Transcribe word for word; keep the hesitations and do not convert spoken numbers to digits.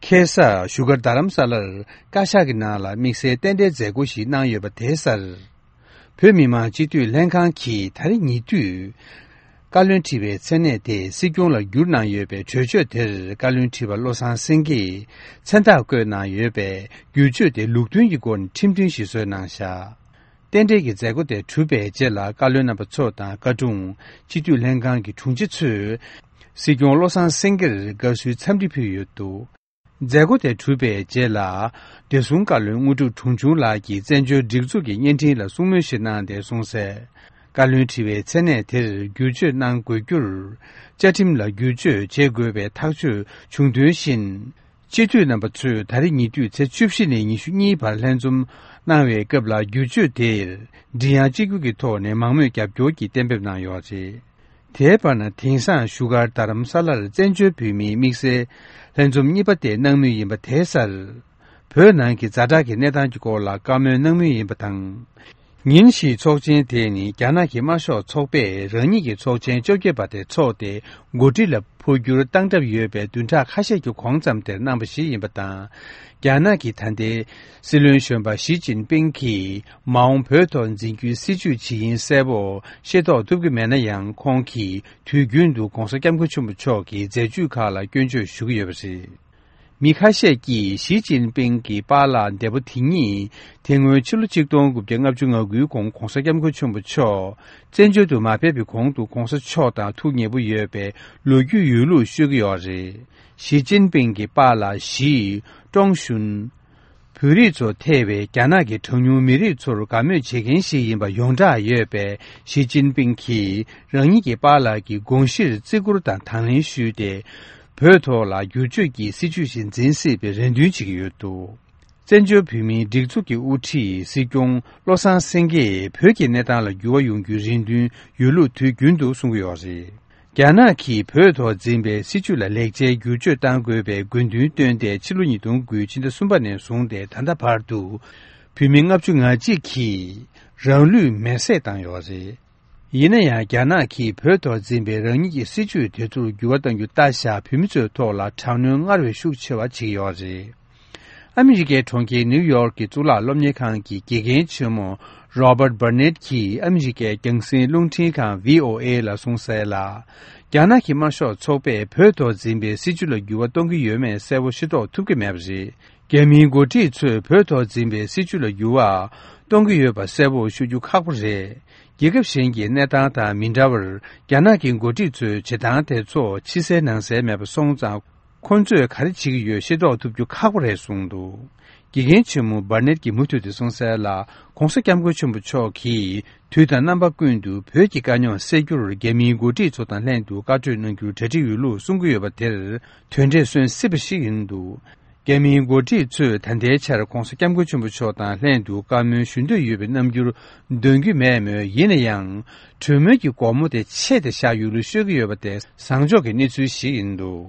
ཁ་སང་བཞུགས་སྒར་རྡ་རམ་ས་ལར་བཀའ་ཤག་གི་ནང་ལ་དམིགས་བསལ་རྟེན་འབྲེལ་མཛད་སྒོ་ཞིག་གནང་ཡོད་པ་དེའི་སར། བོད་མི་མང་སྤྱི་འཐུས་ལྷན་ཁང་གིས་ད་རེས་ཉེ་དུས། བཀའ་བློན་ཁྲི་པའི་མཚན་གནས་དེ་སྲིད་སྐྱོང་ལ་བསྒྱུར་གནང་ཡོད་པའི་གྲོས་ཆོད་དེར་བཀའ་བློན་ཁྲི་པ་བློ་བཟང་སེང་གེས་མཚན་རྟགས་བཀོད་གནང་ཡོད་པས། བསྒྱུར་བཅོས་དེ་ལུགས་མཐུན་གྱི་སྒོ་ནས་ཁྲིམས་མཐུན་ཞིག་བཟོས་གནང་བཞག་རྟེན་འབྲེལ་གྱི་མཛད་སྒོ་དེ་གྲུབ་པའི་རྗེས་ལ། བཀའ་བློན་རྣམ་པ་ཚོ་དང་བཀའ་དྲུང་། སྤྱི་འཐུས་ལྷན་ཁང་གི་དྲུང་ཆེ་ཚོས། སྲིད་སྐྱོང་བློ་བཟང་སེང་གེར་དགའ་བསུའི་འཚམས་འདྲི་ཕུལ་ཡོད་འདུག་མཛད་སྒོ་དེ་གྲུབ་པའི་རྗེས་ལ། བདེ་སྲུང་བཀའ་བློན་དངོས་གྲུབ་དྲུང་ཆུང་ལགས་ཀྱིས་བཙན་བྱོལ་སྒྲིག་འཛུགས་ཀྱི་བརྙན་འཕྲིན་ལ་གསུང་མོལ་ཞིག་གནང་སྟེ་གསུངས་གསལ། བཀའ་བློན་ཁྲི་པའི་མཚན་གནས་དེར་བསྒྱུར་བཅོས་གནང་དགོས་རྒྱུར། བཅའ་ཁྲིམས་ལ་བསྒྱུར་བཅོས་བྱེད་དགོས་པའི་ཐག་གཅོད་བྱུང་དོན་བཞིན། སྤྱི་འཐུས་རྣམ་པ་ཚོས་ད་རེས་ཉེ་དུས་ཚེས་བཅུ་བཞི་ནས་ཉི་ཤུ་གཉིས་བར་ལྷན་འཛོམས་གནང་བའི་སྐབས་ལ། བསྒྱུར་བཅོས་དེར་མགྲིན་དབྱངས་གཅིག་གྱུར་གྱི་ཐོག་ནས་མང་མོས་རྒྱབ་སྐྱོར་གྱིས་གཏན་འབེབས་གནང་ཡོད་པ་རེད། དེའི་བར་ན། དེང་སང་བཞུགས་སྒར་རྡ་རམ་ས་ལར་བཙན་བྱོལ་བོད་མིའི་དམིགས་བསལ་ལྷན་འཛོམས་གཉིས་པ་དེ་གནང་མུས་ཡིན་པ་དེའི་སར། བོད་ནང་གི་ཛ་དྲག་གི་གནས་སྟངས་ཀྱི་སྐོར་ལ་བཀའ་མོལ་གནང་མུས་ཡིན་པ་དང་། ཉིན་ཞིག་ཚོགས་ཆེན་དེ་ནི་རྒྱ་ནག་གི་དམར་ཤོག་ཚོགས་པས་རང་ཉིད་ཀྱི་ཚོགས་ཆེན་བཅོ་བརྒྱད་པ་དེ་འཚོགས་ཏེ། འགོ་ཁྲིད་ལ་འཕོ་འགྱུར་བཏང་གྲབས་ཡོད་པའི་བདུན་ཕྲག་ཁ་ཤས་ཀྱི་གོང་ཙམ་དེར་གནང་པ་ཞིག་ཡིན་པ་དང་། རྒྱ་ནག་གི་ད་ལྟའི་སྲིད་བློན་གཞོན་པ་ཞི་ཅིན་ཕིང་གིས་མ་འོངས་བོད་ཐོག་འཛིན་རྒྱུའི་སྲིད་བྱུས་ཇི་ཡིན་གསལ་པོ་ཤེས་རྟོགས་ཐུབ་ཀྱི་མེད་ན་ཡང་། ཁོང་གིས་དུས་རྒྱུན་དུ་༧གོང་ས་༧སྐྱབས་མགོན་ཆེན་པོ་མཆོག་གི་མཛད་བྱུས་ཁག་ལ་སྐྱོན་བརྗོད་ཞུ་གི་ཡོད་པ་རེད། མི་ཁ་ཤས་ཀྱིས་ཞི་ཅིན་ཕིང་གི་པཱ་ལགས་འདས་པོ་དེ་ཉིད། དེ་སྔོན་ཕྱི་ལོ་ཆིག་སྟོང་དགུ་བརྒྱ་ལྔ་བཅུ་ང་དགུའི་གོང་༧གོང་ས་༧སྐྱབས་མགོན་ཆེན་པོ་མཆོག་བཙན་བྱོལ་དུ་མ་ཕེབས་པའི་གོང་དུ་༧གོང་ས་མཆོག་དང་ཐུགས་ཉེ་པོ་ཡོད་པའི་ལོ་རྒྱུས་ཡོད་ལུགས་ཤོད་ཀྱི་ཡོད་རེད། ཞི་ཅིན་ཕིང་གི་པཱ་ལགས་ཞི་ཀྲོང་ཞུན། བོད་རིགས་ཚོ་ཐེ་བའི་རྒྱ་ནག་གི་གྲངས་ཉུང་མི་རིགས་ཚོར་དགའ་མོས་བྱེད་མཁན་ཞིག་ཡིན་པ་ཡོངས་གྲགས་ཡོད་པའི་ཞི་ཅིན་ཕིང་གིས། རང་ཉིད་ཀྱི་པཱ་ལགས་ཀྱི་དགོངས་གཞིར་བརྩི་བཀུར་དང་དང་ལེན་ཞུས་ཏེ། བོད་ཐོག་ལ་བསྒྱུར་བཅོས་ཀྱི་སྲིད་བྱུས་ཤིག་འཛིན་སྲིད་པའི་རེ་འདུན་བྱེད་ཀྱི་ཡོད་འདུག་བཙན་བྱོལ་བོད་མིའི་སྒྲིག་འཛུགས་ཀྱི་དབུ་ཁྲིད་སྲིད་སྐྱོང་བློ་བཟང་སེང་གེས་བོད་ཀྱི་གནས་སྟངས་ལ་འགྱུར་བ་ཡོང་རྒྱུའི་རེ་འདུན་ཡོད་ལུགས་དུས་རྒྱུན་དུ་གསུང་གི་ཡོད་རེད། རྒྱ་ནག་གིས་བོད་ཐོག་འཛིན་པའི་སྲིད་བྱུས་ལ་ལེགས་ཆའི་བསྒྱུར་བཅོས་གཏང་དགོས་པའི་དགོས་འདུན་བཏོན་ཏེ། ཕྱི་ལོ་ཉིས་སྟོང་དགུ་ཕྱི་ཟླ་གསུམ་པ་ནས་བཟུང་སྟེ་ད་ལྟ་བར་དུ། བོད་མི་ལྔ་བཅུ་ང་གཅིག་གིས་རང་ལུས་མེར་སྲེག་བཏང་ཡོད་རེད། ཡིན་ན་ཡང་། རྒྱ་ནག་གིས་བོད་ཐོག་འཛིན་པའི་རང་ཉིད་ཀྱི་སྲིད་བྱུས་དེ་ཚོར་འགྱུར་བ་གཏང་རྒྱུ་ལྟ་བཞག་བོད་མི་ཚོའི་ཐོག་ལ་དྲག་གནོན་སྔར་བས་ཤུགས་ཆེ་བ་བྱེད་ཀྱི་ཡོད་རེད། ཨ་མི་རི་ཀའི་གྲོང་ཁྱེར་ནིའུ་ཡོག་གི་གཙུག་ལག་སློབ་གཉེར་ཁང་གི་དགེ་རྒན་ཆེན་མོ་Robert Burnett གྱིས་ཨ་མི་རི་ཀའི་རྒྱང་སྲིང་རླུང་འཕྲིན་ཁང་བྷི་ཨོ་ཨེ་ལ་གསུངས་གསལ་ལ། རྒྱ་ནག་གི་དམར་ཤོག་ཚོགས་པས་བོད་ཐོག་འཛིན་པའི་སྲིད་བྱུས་ལ་འགྱུར་བ་གཏོང་གི་ཡོད་མེད་གསལ་པོ་ཤེས་རྟོགས་ཐུབ་ཀྱི་མེད་པ་རེད། རྒྱ་མིའི་འགོ་ཁྲིད་ཚོས་བོད་ཐོག་འཛིན་པའི་སྲིད་བྱུས་ལ་འགྱུར་བ་གཏོང་གི་ཡོད་པ་གསལ་པོ་ཤོད་རྒྱུ་ཁག་པོ་རེད། རྒྱལ་ཁབ་གཞན་གྱི་གནས་སྟངས་དང་མི་འདྲ་བར། རྒྱ་ནག་གི་འགོ་ཁྲིད་ཚོའི་བྱེད་སྟངས་དེ་ཚོ་ཕྱི་གསལ་ནང་གསལ་མེད་པ་སོང་ཙང་། ཁོང་ཚོས་ག་རེ་བྱེད་ཀྱི་ཡོད་ཤེས་རྟོགས་ཐུབ་རྒྱུ་ཁག་པོ་རེད་གསུངས་འདུག་དགེ་རྒན་ཆེན་མོ་Burnett གྱིས་མུ་མཐུད་དེ་གསུངས་གསལ་ལ། ༸གོང་ས་༸སྐྱབས་མགོན་ཆེན་པོ་མཆོག་གིས་དུས་དང་རྣམ་པ་ཀུན་ཏུ་བོད་ཀྱི་དཀའ་རྙོག་སེལ་རྒྱུར་རྒྱ་མིའི་འགོ་ཁྲིད་ཚོ་དང་ལྷན་དུ་བཀའ་གྲོས་གནང་རྒྱུར་གྲ་སྒྲིག་ཡོད་ལུགས་གསུང་གི་ཡོད་པ་དེར་དོན་འབྲས་སོན་སྲིད་པ་ཞིག་ཡིན་འདུག་རྒྱ་མིའི་འགོ་ཁྲིད་ཚོས་ད་ལྟའི་ཆར་༸གོང་ས་༸སྐྱབས་མགོན་ཆེན་པོ་མཆོག་དང་ལྷན་དུ་བཀའ་མོལ་ཞུ་འདོད་ཡོད་པའི་རྣམ་འགྱུར་འདོན་གྱི་མེད་མོད། ཡིན་ན་ཡང་། གྲོས་མོལ་གྱི་སྒོ་མོ་དེ་ཕྱེ་སྟེ་བཞག་ཡོད་ལུགས་ཤོད་ཀྱི་ཡོད་པ་དེ་བཟང་ཕྱོགས་ཀྱི་གནས་ཚུལ་ཞིག་ཡིན་འདུག